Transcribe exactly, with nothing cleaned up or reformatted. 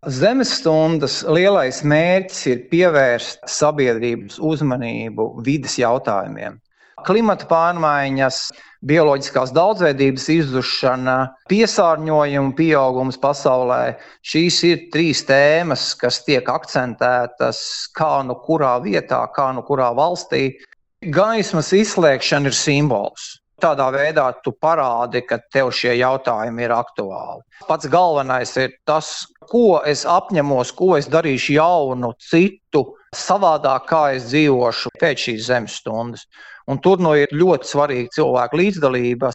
Zemes stundas lielais mērķis ir pievērst sabiedrības uzmanību vides jautājumiem. Klimata pārmaiņas, bioloģiskās daudzveidības izzušana, piesārņojuma pieaugums pasaulē – šīs ir trīs tēmas, kas tiek akcentētas kā nu kurā vietā, kā nu kurā valstī. Gaismas izslēgšana ir simbols. Tādā veidā tu parādi, ka tev šie jautājumi ir aktuāli. Pats galvenais ir tas, ko es apņemos, ko es darīšu jaunu, citu, savādāk, kā es dzīvošu pēc šīs zemes stundas. Un tur nu ir ļoti svarīga cilvēku līdzdalība.